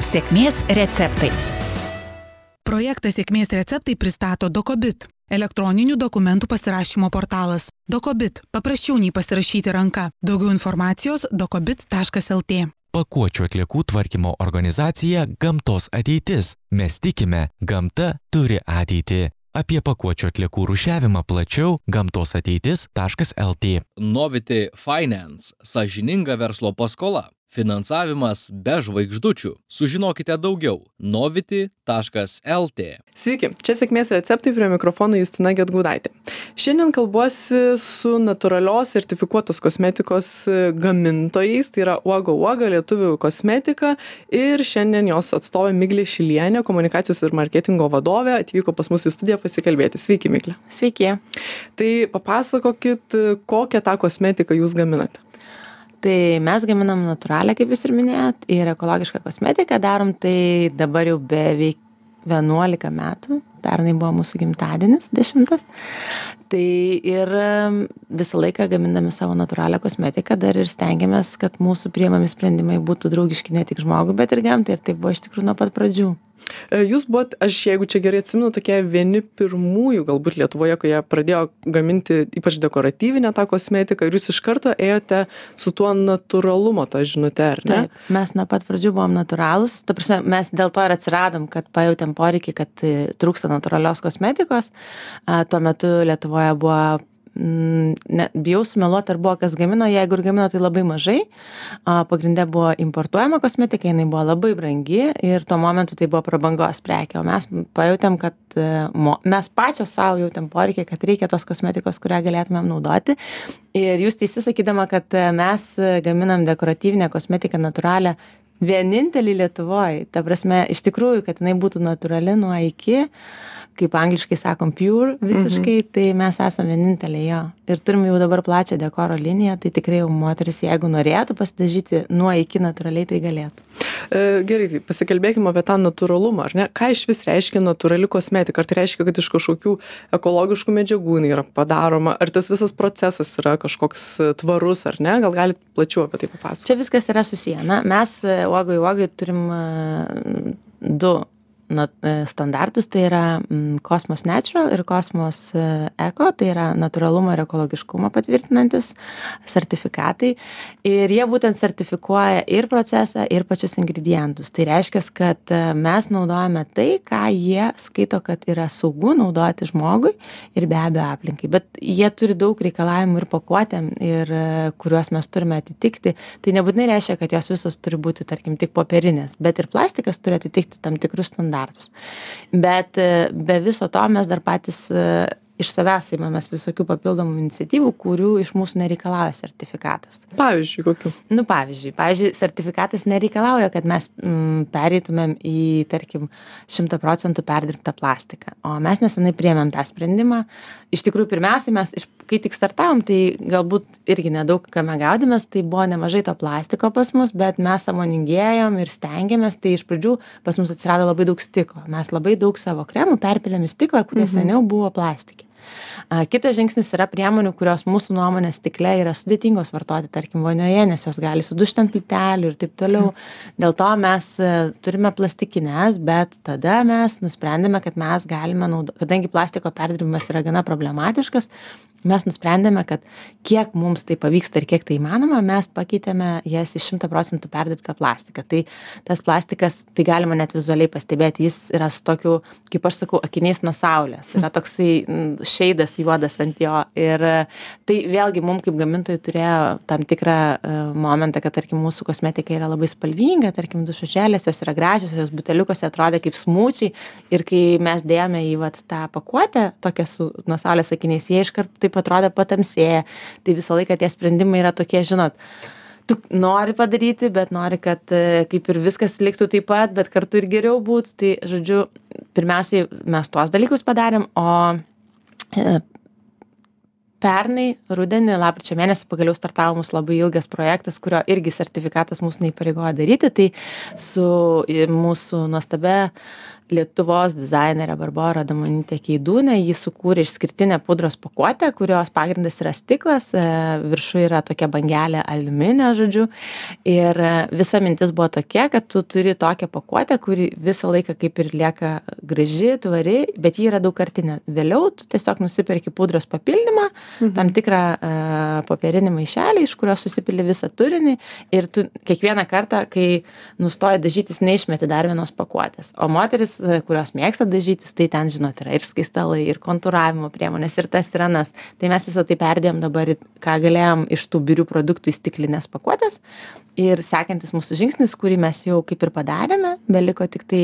Sėkmės receptai. Projektą Sėkmės receptai pristato Dokobit, elektroninių dokumentų pasirašymo portalas. Dokobit – paprasčiau nei pasirašyti ranka. Daugiau informacijos dokobit.lt. Pakuočių atliekų tvarkymo organizacija Gamtos ateitis. Mes tikime, gamta turi ateitį. Apie pakuočių atliekų rūšiavimą plačiau gamtosateitis.lt. Novity Finance – sąžininga verslo paskola. Finansavimas be žvaigždučių. Sužinokite daugiau novity.lt. Sveiki, čia Sėkmės receptai, prie mikrofono Justina Gedgaudaitė. Šiandien kalbuosi su natūralios sertifikuotos kosmetikos gamintojais, tai yra Uoga lietuvių kosmetika, ir šiandien jos atstovė Miglė Šilienė, komunikacijos ir marketingo vadovė, atvyko pas mus į studiją pasikalbėti. Sveiki, Miglė. Sveiki. Tai papasakokit, kokią tą kosmetiką jūs gaminate. Tai mes gaminam natūralią, kaip jūs ir minėjot, ir ekologišką kosmetiką darom tai dabar jau beveik 11 metų. Pernai buvo mūsų gimtadienis 10. Tai ir visą laiką gamindami savo natūralią kosmetiką dar ir stengiamės, kad mūsų priimami sprendimai būtų draugiški ne tik žmogui, bet ir gamtai. Ir tai buvo iš tikrųjų nuo pat pradžių. Jūs buvot, aš jeigu čia gerai atsimenu, tokie vieni pirmųjų galbūt Lietuvoje, kai jie pradėjo gaminti ypač dekoratyvinę tą kosmetiką, ir jūs iš karto ėjote su tuo natūralumo tą žinute, ar ne? Taip, mes nuo pat pradžių buvom natūralūs. Ta prasme, mes dėl to ir atsiradom, kad pajautėm poreikį, kad trūksta natūralios kosmetikos. Tuo metu Lietuvoje buvo, bijau sumeluoti, ar buvo kas gamino, jeigu ir gamino, tai labai mažai. Pagrinde buvo importuojama kosmetika, jinai buvo labai brangi ir tuo momentu tai buvo prabangos prekė, o mes pajautėm, kad mes pačios savo jautėm poreikį, kad reikia tos kosmetikos, kurią galėtumėm naudoti. Ir jūs teisi sakydama, kad mes gaminam dekoratyvinę kosmetiką natūralią vienintelį Lietuvoje. Ta prasme, iš tikrųjų, kad jinai būtų natūrali nuo iki, kaip angliškai sakom, pure visiškai, tai mes esam vieninteliai jo. Ir turim jau dabar plačią dekoro liniją, tai tikrai jau moteris, jeigu norėtų pasidažyti nuo iki natūraliai, tai galėtų. Gerai, tai pasikalbėkime apie tą natūralumą, ar ne? Ką iš vis reiškia natūrali kosmetika? Ar tai reiškia, kad iš kažkokių ekologiškų medžiagų jinai yra padaroma? Ar tas visas procesas yra kažkoks tvarus, ar ne? Gal galit plačiau apie tai papasakoti? Čia viskas yra susiję. Na, mes Uogai turim du standartus, tai yra Cosmos Natural ir Cosmos Eco, tai yra natūralumo ir ekologiškumo patvirtinantis sertifikatai. Ir jie būtent sertifikuoja ir procesą, ir pačius ingredientus. Tai reiškia, kad mes naudojame tai, ką jie skaito, kad yra saugu naudoti žmogui ir be abejo aplinkai. Bet jie turi daug reikalavimų ir pakuotėm, ir kuriuos mes turime atitikti. Tai nebūtinai reiškia, kad jos visos turi būti, tarkim, tik popierinės, bet ir plastikas turi atitikti tam tikrus standartus. Bet be viso to mes dar patys iš savęs įmamės visokių papildomų iniciatyvų, kurių iš mūsų nereikalauja sertifikatas. Pavyzdžiui, kokių? Pavyzdžiui, sertifikatas nereikalauja, kad mes pereitumėm į, tarkim, 100% perdirbtą plastiką. O mes nesenai priėmėm tą sprendimą. Iš tikrųjų, pirmiausiai mes, kai tik startavom, tai galbūt irgi nedaug kame gaudėmės, tai buvo nemažai to plastiko pas mus, bet mes sąmoningėjom ir stengiamės, tai iš pradžių pas mus atsirado labai daug stiklo. Mes labai daug savo kremų perpylėm į stiklą, kurie seniau buvo plastikė. Kitas žingsnis yra priemonių, kurios mūsų nuomonės stikle yra sudėtingos vartoti, tarkim, vonioje, nes jos gali sudužti ant plytelių ir taip toliau. Dėl to mes turime plastikines, bet tada mes nusprendėme, kad mes galime naudoti, kadangi plastiko perdirbimas yra gana problematiškas, mes nusprendėme, kad kiek mums tai pavyksta ir kiek tai įmanoma, mes pakeitėme jas į 100% perdirbtą plastiką. Tai tas plastikas, tai galima net vizualiai pastebėti, jis yra su tokiu, kaip aš sakau, akiniais nuo saulės. Yra toksai šeidas juodas ant jo. Ir tai vėlgi mums kaip gamintojai turėjo tam tikrą momentą, kad, tarkim, mūsų kosmetika yra labai spalvinga, tarkim, dušužėlės, jos yra gražios, jos buteliukose atrodė kaip smūčiai. Ir kai mes dėjome į tą pakuotę, tokią su nuo saulės akiniais, jie iškart taip atrodė patamsėję. Tai visą laiką tie sprendimai yra tokie, žinot, tu nori padaryti, bet nori, kad kaip ir viskas liktų taip pat, bet kartu ir geriau būtų. Tai, žodžiu, pirmiausiai mes tuos dalykus padarėm, o pernai rudenį, lapkričio mėnesį pagaliau startavo mūsų labai ilgas projektas, kurio irgi sertifikatas mūsų neįpareigojo daryti. Tai su mūsų nuostabia Lietuvos dizainerė Barbora Adamonytė Keidūnė, ji sukūrė išskirtinę pudros pakuotę, kurios pagrindas yra stiklas, viršuje yra tokia bangelė aliuminio, žodžiu. Ir visa mintis buvo tokia, kad tu turi tokią pakuotę, kuri visą laiką kaip ir lieka graži, tvari, bet ji yra daugkartinė. Vėliau tu tiesiog nusiperki pudros papildymą, tam tikrą popierinį maišelį, iš kurio susipili visą turinį ir tu kiekvieną kartą, kai nustoji dažytis, neišmeti dar vienos pakuotės. O moteris, kurios mėgsta dažytis, tai ten, žinot, yra ir skaistalai, ir kontūravimo priemonės, ir tas ir anas. Tai mes visą tai perdėjom dabar, ką galėjom iš tų birių produktų į stiklinės pakuotės. Ir sekantis mūsų žingsnis, kurį mes jau kaip ir padarėme, beliko tik tai,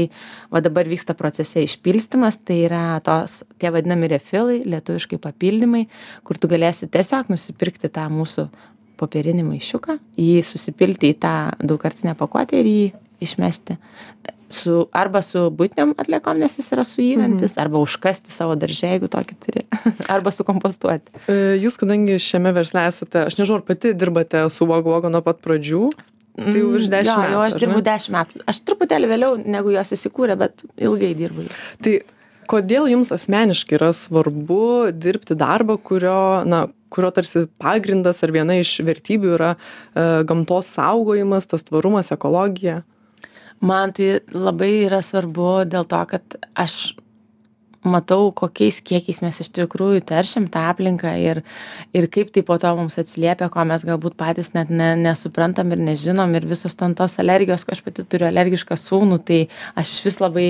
va dabar vyksta procese išpilstymas, tai yra tie vadinami refilai, lietuviškai papildymai, kur tu galėsi tiesiog nusipirkti tą mūsų popierinį maišiuką, jį susipilti į tą daugkartinę pakuotę ir jį išmesti arba su buitiniam atliekom, nes jis yra suyrantis, arba užkasti savo darže, jeigu tokį turi, arba sukompostuoti. Jūs, kadangi šiame versle esate, aš nežinau, ar pati dirbate su Uoga nuo pat pradžių, tai jau virš 10 metų. Jo, aš dirbu 10 metų. Aš truputėlį vėliau, negu jos įsikūrė, bet ilgai dirbu. Tai kodėl jums asmeniškai yra svarbu dirbti darbą, kurio tarsi pagrindas ar viena iš vertybių yra gamtos saugojimas, tas tvarumas, ekologija? Man tai labai yra svarbu dėl to, kad aš matau, kokiais kiekiais mes iš tikrųjų teršiam tą aplinką ir kaip tai po to mums atsiliepia, ko mes galbūt patys net nesuprantam ir nežinom ir visos tos alergijos, aš pati turiu alergišką sūnų, tai aš iš vis labai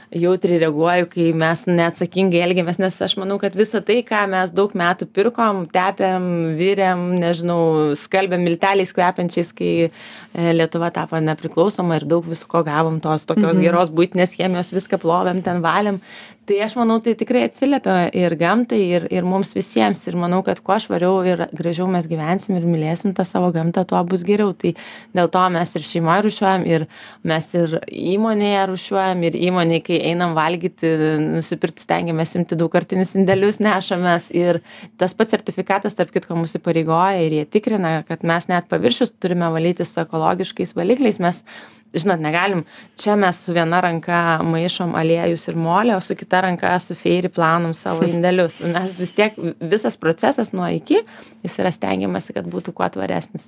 jautriai reaguoju, kai mes neatsakingai elgiamės, nes aš manau, kad visa tai, ką mes daug metų pirkom, tepėm, virėm, nežinau, skalbėm milteliais kvepiančiais, kai Lietuva tapo nepriklausoma ir daug visko gavom tos tokios geros buitinės chemijos, viską plovėm, ten valėm. Tai aš manau, tai tikrai atsiliepia ir gamtai, ir mums visiems. Ir manau, kad kuo švariau ir gražiau mes gyvensim ir mylėsim tą savo gamtą, tuo bus geriau. Tai dėl to mes ir šeimoje rūšiuojam, ir mes ir įmonėje rūšiuojam, ir įmonėje, kai einam valgyti, nusipirkti, stengiamės imti daugkartinius indelius, nešamės. Ir tas pats sertifikatas, tarp kitko, mūsų pareigoja ir jie tikrina, kad mes net paviršius turime valyti su ekologiškais valikliais. Mes, žinot, negalim, čia mes su viena ranka maišom aliejus ir molį, o su kita ranka su feiri plaunam savo indelius. Mes vis tiek, visas procesas nuo iki, jis yra stengiamasi, kad būtų kuo tvaresnis.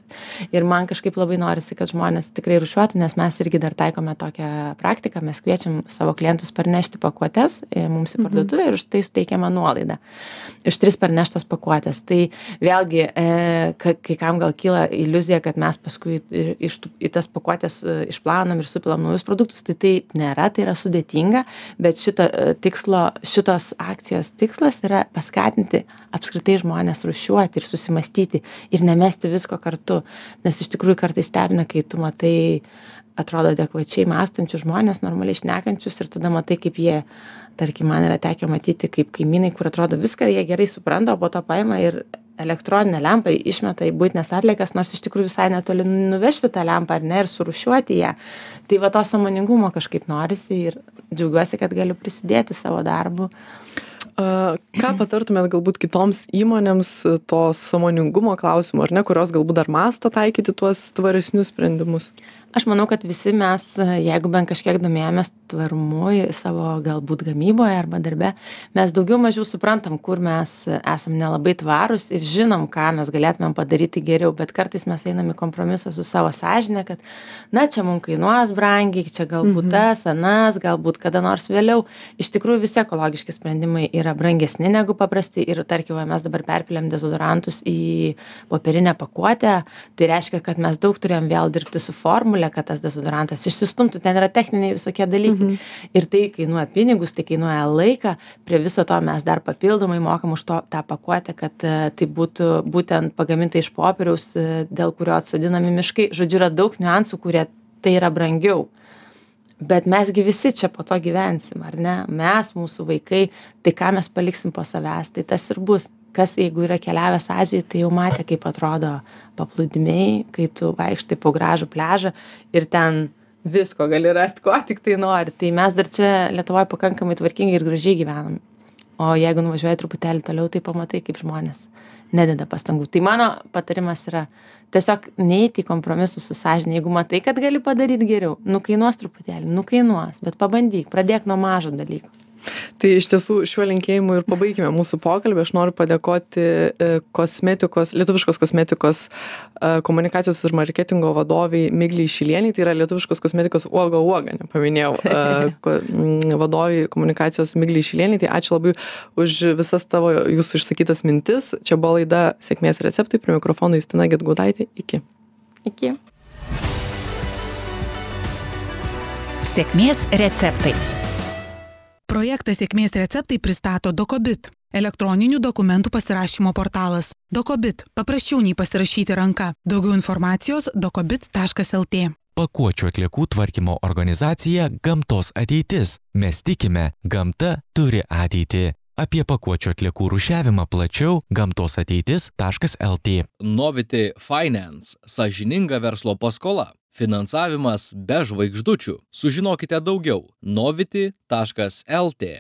Ir man kažkaip labai norisi, kad žmonės tikrai rūšiuotų, nes mes irgi dar taikome tokią praktiką, mes kviečiam savo klientus parnešti pakuotes mums į parduotuvę ir už tai suteikiame nuolaidą. Už 3 parneštas pakuotės. Tai vėlgi, kai kam gal kyla iliuzija, kad mes paskui į tas pakuotės išplaunam ir supilam naujus produktus, tai nėra, tai yra sudėtinga, bet šitos akcijos tikslas yra paskatinti apskritai žmonės rūšiuoti ir susimastyti ir nemesti visko kartu, nes iš tikrųjų kartais stebina, kai tu matai, atrodo adekvačiai mąstančius žmonės, normaliai šnekančius ir tada matai, kaip jie, tarkim, man yra tekę matyti kaip kaimynai, kur atrodo viską jie gerai supranta, o po to paima ir elektroninę lempą išmeta į buitinės atliekas, nors iš tikrųjų visai netoli nuvežti tą lempą ar ne ir surūšiuoti ją. Tai va to sąmoningumo kažkaip norisi ir džiaugiuosi, kad galiu prisidėti savo darbu. Ką patartumėt galbūt kitoms įmonėms to sąmoningumo klausimų, ar ne, kurios galbūt dar mąsto taikyti tuos tvaresnius sprendimus? Aš manau, kad visi mes, jeigu bent kažkiek domėjomės tvarumu savo galbūt gamyboje arba darbe, mes daugiau mažiau suprantam, kur mes esam nelabai tvarūs ir žinom, ką mes galėtumėm padaryti geriau, bet kartais mes einam į kompromisą su savo sąžine, kad na, čia mums kainuos brangiai, čia galbūt tas, anas, galbūt kada nors vėliau. Iš tikrųjų visi ekologiški sprendimai yra brangesni negu paprasti ir tarkim, mes dabar perpiliam dezodorantus į popierinę pakuotę, tai reiškia, kad mes daug turėjom vėl dirbti su formule, kad tas dezodorantas išsistumtų, ten yra techniniai visokie dalykai. Ir tai kainuoja pinigus, tai kainuoja laiką, prie viso to mes dar papildomai mokam už tą pakuotę, kad tai būtų būtent pagaminta iš popieriaus, dėl kurio atsodinami miškai. Žodžiu, yra daug niuansų, kurie tai yra brangiau. Bet mesgi visi čia po to gyvensim, ar ne? Mes, mūsų vaikai, tai ką mes paliksim po savęs, tai tas ir bus. Kas, jeigu yra keliavęs Azijoje, tai jau matė, kaip atrodo paplūdimiai, kai tu vaikštai po gražų pliažą ir ten visko gali rasti, ko tik tai nori. Tai mes dar čia Lietuvoje pakankamai tvarkingai ir gražiai gyvenam. O jeigu nuvažiuoji truputėlį toliau, tai pamatai, kaip žmonės nededa pastangų. Tai mano patarimas yra tiesiog neiti į kompromisus su sąžine. Jeigu matai, kad gali padaryti geriau, nukainuos truputėlį, bet pabandyk, pradėk nuo mažo dalyko. Tai iš tiesų šiuo linkėjimu ir pabaigime mūsų pokalbį. Aš noriu padėkoti lietuviškos kosmetikos komunikacijos ir marketingo vadoviai Miglei Šilieniai, tai yra lietuviškos kosmetikos uoga, nepaminėjau, vadoviai komunikacijos Miglei Šilieniai. Tai ačiū labai už visas tavo jūsų išsakytas mintis. Čia buvo laida Sėkmės receptai, prie mikrofono Justina Gedgaudaitė. Iki. Sėkmės receptai. Projektą Sėkmės receptai pristato Dokobit, elektroninių dokumentų pasirašymo portalas. Dokobit, paprasčiau nei pasirašyti ranka. Daugiau informacijos dokobit.lt. Pakuočių atliekų tvarkymo organizacija Gamtos ateitis. Mes tikime, gamta turi ateitį. Apie pakuočių atliekų rūšiavimą plačiau gamtosateitis.lt. Novity Finance – sąžininga verslo paskola. Finansavimas be žvaigždučių. Sužinokite daugiau novity.lt.